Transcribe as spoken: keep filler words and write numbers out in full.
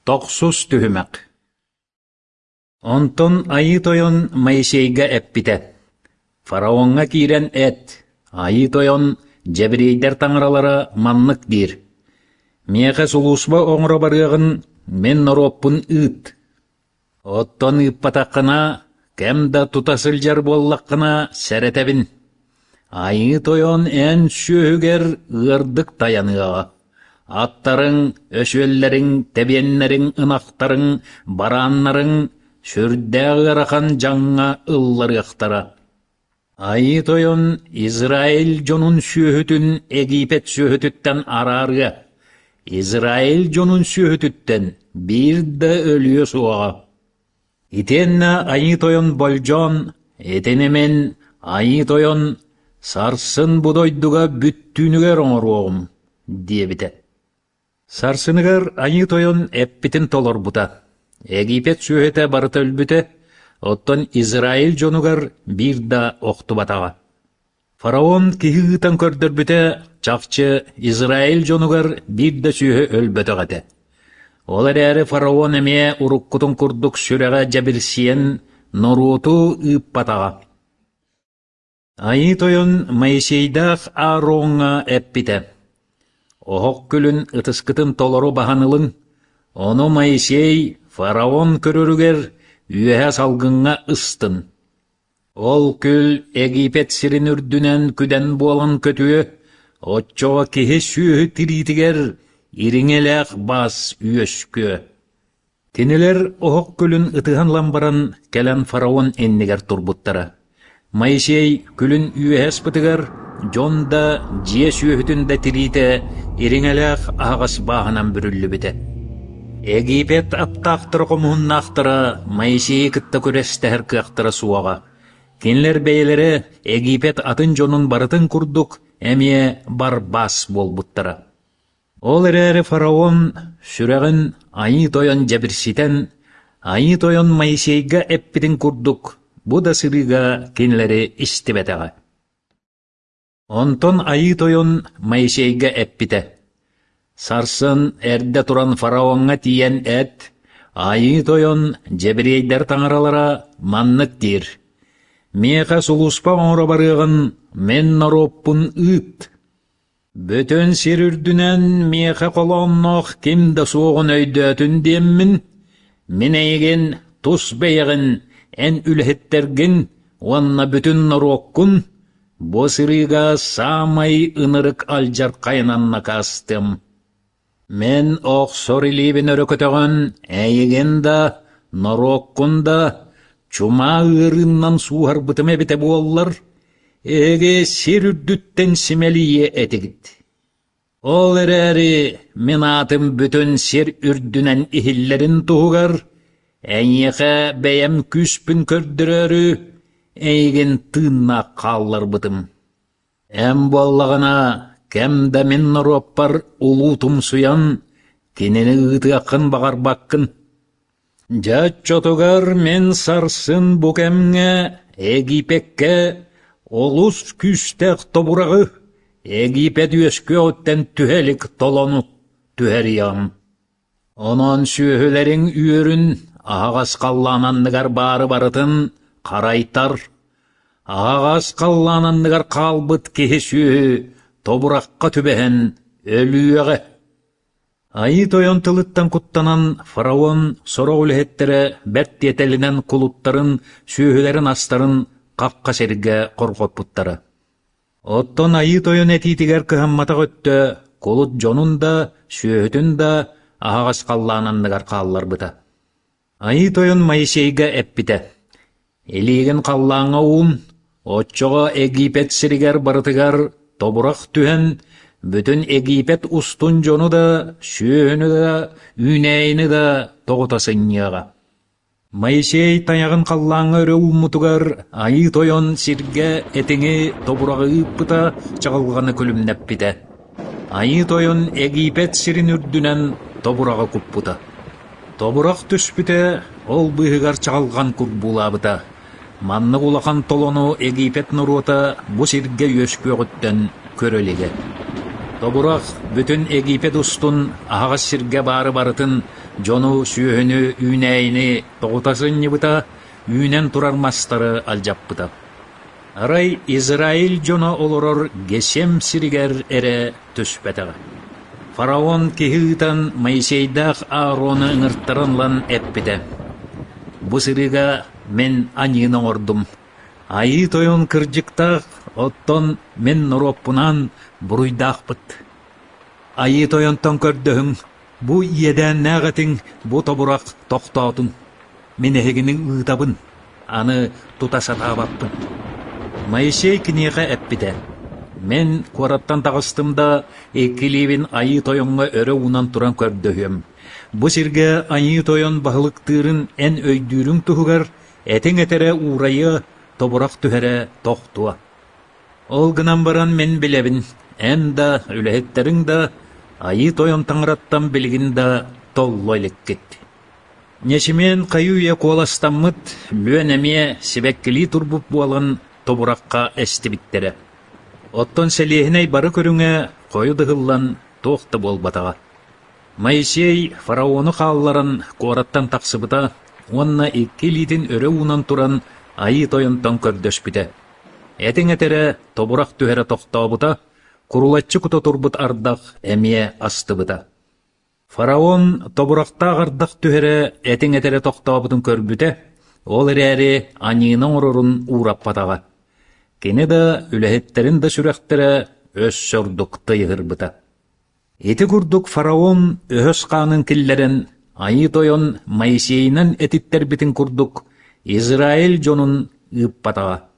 Тохсус түһүмэх Онтон Айыы Тойон Моисейга эппитэ: «Фараоҥҥа киирэн эт, Айыы Тойон дьэбириэйдэр таҥаралара маннык диир: Миэхэ сулууспа оҥоро барыаҕын мин норуоппун ыыт. Оттон ыыппатаххына, кэм да тута сылдьар буоллаххына сэрэтэбин: Айыы Тойон эн сүөһүгэр ыардык тайаныаҕа, аттарыҥ, өсүөллэриҥ, тэбиэннэриҥ, ынахтарыҥ, барааннарыҥ сүрдээх ыарахан дьаҥҥа ылларыахтара. Айыы Тойон Израиль дьонун сүөһүтүн Египет сүөһүтүттэн араарыа, Израиль дьонун сүөһүтүттэн биир да өлүө суоҕа. Итиэннэ Айыы Тойон болдьоон, итини мин, Айыы Тойон, сарсын бу дойдуга бүттүүнүгэр оҥоруоҕум» диэбитэ. Сарсыныгар Айыы Тойон эппитин толорбута. Египет сүөһүтэ барыта өлбүтэ, оттон Израиль дьонугар биир да охтубатаҕа. Фараон киһи ыытан көрдөрбүтэ, чахчы Израиль дьонугар биир да сүөһү өлбөтөх этэ. Ол эрээри фараон эмиэ уруккутун курдук сүрэҕэ дьэбирсийэн норуоту ыыппатаҕа. Айыы Тойон Моисейдаах Аароҥҥа эппитэ: «Оһох күлүн ытыскытын толору баһан ылыҥ, ону Моисей фараон көрөрүгэр үөһэ салгыҥҥа ыстын. Ол күл Египет сирин үрдүнэн күдэн буолан көтүө, оччоҕо киһи сүөһү тириитигэр ириҥэлээх баас үөскүө». Кинилэр оһох күлүн ытыһан ылан баран кэлэн фараон иннигэр турбуттара. Моисей күлүн үөһэ ыспытыгар дьон да, дьиэ сүөһүтүн да тириитэ ириҥэлээх аһаҕас бааһынан бүрүллүбүтэ. Египет аптаахтара-хомуһуннаахтара Моисейы кытта күрэстэһэр кыахтара суоҕа. Кинилэр бэйэлэрэ Египет атын дьонун барытын курдук эмиэ барбаас буолбуттара. Ол эрээри фараон сүрэҕин Айыы Тойон дьэбирситэн, Айыы Тойон Моисейга эппитин курдук, бу да сырыыга кинилэри истибэтэҕэ. Онтон Айыы Тойон Моисейга эппитэ: «Сарсын эрдэ туран фараоҥҥа тиийэн эт, Айыы Тойон дьэбириэйдэр таҥаралара маннык диир: Миэхэ сулууспа оҥоро барыаҕын мин норуоппун ыыт. Бүтүн сир үрдүнэн миэхэ холоонноох ким да суоҕун өйдөөтүн диэммин, мин эйигин тус бэйэҕин, эн үлэһиттэргин уонна бүтүн норуоккун бу сырыыга саамай ынырык алдьархайынан накаастыам. Мин охсор илиибин өрө көтөҕөн, эйигин да, норуоккун да чумаа ыарыыннан сууһарбытым эбитэ буоллар, эһиги сир үрдүттэн симэлийиэ этигит. Ол эрээри мин аатым бүтүн сир үрдүнэн иһиллэрин туһугар, эйиэхэ бэйэм күүспүн көрдөрөөрү, эйигин тыыннаах хаалларбытым. Эн буоллаҕына, кэм да мин норуоппар улуутумсуйан, кинини ыытыаххын баҕарбаккын. Дьэ оччотугар мин сарсын бу кэмҥэ Египеккэ олус күүстээх тобураҕы, Египет үөскүөҕүттэн түһэ илик толону түһэриэҕим. Онон сүөһүлэриҥ үөрүн аһаҕас халлаан анныгар баары барытын харайтар, аһаҕас халлаан анныгар хаалбыт киһи-сүөһү тобурахха түбэһэн өлүөҕэ. Айыы Тойон тылыттан куттанан фараон сорох үлэһиттэрэ бэрт тиэтэлинэн кулуттарын, сүөһүлэрин-астарын хахха сиргэ хорҕоппуттара. Оттон Айыы Тойон этиитигэр кыһамматах өттө кулут дьонун да, сүөһүтүн да аһаҕас халлаан анныгар хаалларбыта. Айыы Тойон Моисейга эппитэ: «Илиигин халлааҥҥа уун, оччоҕо Египет сиригэр барытыгар тобурах түһэн, бүтүн Египет устун дьону да, сүөһүнү да, үүнээйини да тоҕута сынньыаҕа». Моисей тайаҕын халлааҥҥа өрө ууммутугар Айыы Тойон сиргэ этиҥи тобураҕы ыыппыта, чаҕылҕаны күлүмнэппитэ. Айыы Тойон Египет сирин үрдүнэн тобураҕы куппута. Тобурах түспүтэ, ол быыһыгар чаҕылҕан курбуулаабыта. Маннык улахан толону Египет норуота бу сиргэ үөскүөҕүттэн көрө илигэ. Тобурах бүтүн Египет устун аһаҕас сиргэ баары барытын, Дьону, сүөһүнү, үүнээйини тоҕута сынньыбыта, үүнэн турар мастары алдьаппыта. Арай Израиль дьоно олорор Гесем сиригэр эрэ түспэтэҕэ. Фараон киһи ыытан Моисейдаах Аарону ыҥыртаран ылан эппитэ: «Бу сырыыга мин аньыыны оҥордум, Айыы Тойон кырдьыктаах, оттон мин норуоппунаан буруйдаахпыт. Айыы Тойонтон көрдөһүҥ, бу иэдээннээх этиҥ, бу тобурах тохтоотун. Мин эһигини ыытабын, аны тута сатаабаппын». Моисей киниэхэ эппитэ: «Мин куораттан таҕыстым да, икки илиибин Айыы Тойоҥҥо өрө уунан туран көрдөһүөм. Бу сиргэ Айыы Тойон баһылыктыырын эн өйдүүрүҥ туһугар этиҥ этэрэ уурайыа, тобурах түһэрэ тохтуо. Ол гынан баран мин билэбин, эн да, үлэһиттэриҥ да Айыы Тойон Таҥараттан билигин да толло иликкит». Ньэчимиэн хайыы-үйэ куоластаммыт, лүөн эмиэ сибэккилии турбут буолан тобурахха эстибиттэрэ. Оттон сэлиэһинэй бары көрүҥэ хойут ыһыллан туох да буолбатаҕа. Моисей фараону хаалларан куораттан тахсыбыта уонна икки илиитин өрө уунан туран Айыы Тойонтон көрдөспүтэ. Этиҥ этэрэ, тобурах түһэрэ тохтообута, курулаччы кута турбут ардах эмиэ астыбыта. Фараон тобурахтаах ардах түһэрэ, этиҥ этэрэ тохтообутун көрбүтэ, ол эрээри аньыыны оҥорорун уураппатаҕа. Кини да, үлэһиттэрин да сүрэхтэрэ өссө ордук тыйыһырбыта. Ити курдук фараон өһөс хаанын киллэрэн, Айыы Тойон Моисейынан этиттэрбитин курдук, Израиль дьонун ыыппатаҕа.